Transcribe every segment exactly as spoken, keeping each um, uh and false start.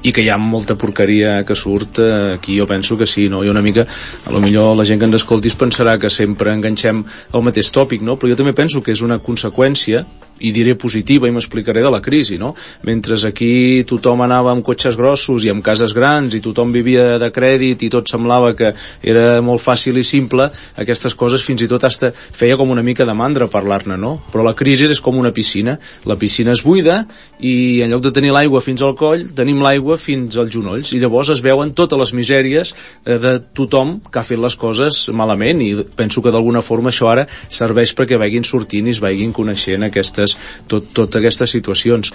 i que hi ha molta porqueria que surt eh, aquí, jo penso que sí, no? I una mica, a lo millor la gent que ens escolti es pensarà que sempre enganxem el mateix tòpic, no? Però jo també penso que és una conseqüència, i diré positiva, i m'explicaré, de la crisi, no? Mentre aquí tothom anava amb cotxes grossos i amb cases grans i tothom vivia de crèdit i tot semblava que era molt fàcil i simple, aquestes coses fins i tot hasta feia com una mica de mandra parlar-ne, no? Però la crisi és com una piscina, la piscina es buida i en lloc de tenir l'aigua fins al coll, tenim l'aigua fins als genolls, i llavors es veuen totes les misèries eh, de tothom que ha fet les coses malament, i penso que d'alguna forma això ara serveix perquè vagin sortint i es vagin coneixent aquestes Tot, tot aquestes situacions.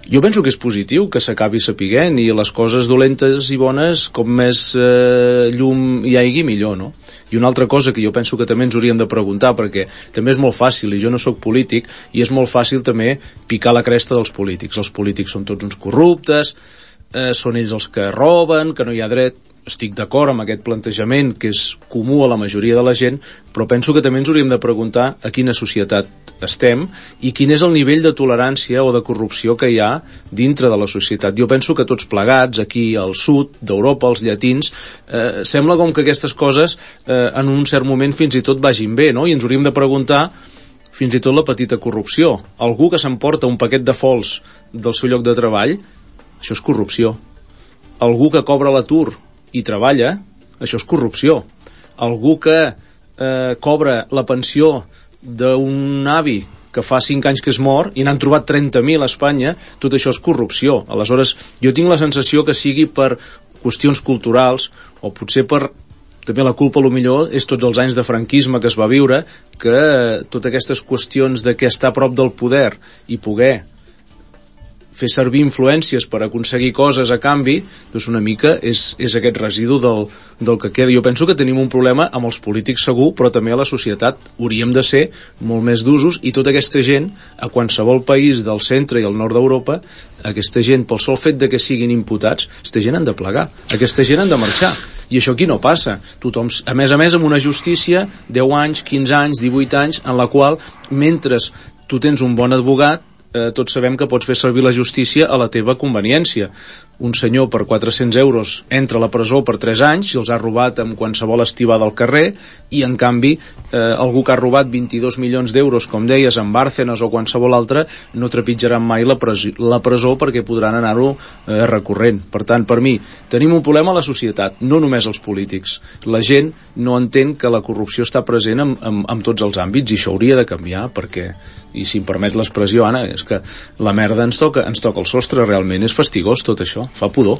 Jo penso que és positiu que s'acabi sapiguent, i les coses dolentes i bones, com més eh, llum hi hagi, millor, no? I una altra cosa que jo penso que també ens hauríem de preguntar, perquè també és molt fàcil, i jo no sóc polític, i és molt fàcil també picar la cresta dels polítics. Els polítics són tots uns corruptes, eh, són ells els que roben, que no hi ha dret. Estic d'acord amb aquest plantejament que és comú a la majoria de la gent, però penso que també ens hauríem de preguntar a quina societat estem i quin és el nivell de tolerància o de corrupció que hi ha dintre de la societat. Jo penso que tots plegats, aquí al sud d'Europa, els llatins, eh, sembla com que aquestes coses eh, en un cert moment fins i tot vagin bé, no? I ens hauríem de preguntar fins i tot la petita corrupció. Algú que s'emporta un paquet de fols del seu lloc de treball, això és corrupció. Algú que cobra l'atur i treballa, això és corrupció. Algú que eh, cobra la pensió d'un avi que fa cinc anys que es mor i n'han trobat trenta mil a Espanya, tot això és corrupció. Aleshores, jo tinc la sensació que sigui per qüestions culturals, o potser per també la culpa, a lo millor, és tots els anys de franquisme que es va viure, que totes aquestes qüestions de què està a prop del poder i poder fer servir influències per aconseguir coses a canvi, doncs una mica és, és aquest residu del, del que queda. Jo penso que tenim un problema amb els polítics segur, però també a la societat hauríem de ser molt més d'usos, i tota aquesta gent, a qualsevol país del centre i el nord d'Europa, aquesta gent, pel sol fet de que siguin imputats, aquesta gent han de plegar, aquesta gent han de marxar. I això aquí no passa. Tothom, a més a més, amb una justícia deu anys, quinze anys, divuit anys, en la qual, mentre tu tens un bon advogat, Eh, tots sabem que pots fer servir la justícia a la teva conveniència. Un senyor per quatre-cents euros entra a la presó per tres anys i els ha robat amb qualsevol estivada al carrer, i en canvi eh, algú que ha robat vint-i-dos milions d'euros, com deies, en Bárcenas o qualsevol altre, no trepitjaran mai la presó, la presó perquè podran anar-ho eh, recorrent. Per tant, per mi, tenim un problema a la societat, no només els polítics. La gent no entén que la corrupció està present en, en, en tots els àmbits, i això hauria de canviar, perquè, i si em permet l'expressió, Anna, és que la merda ens toca, ens toca el sostre, realment és fastigós tot això, fa pudor.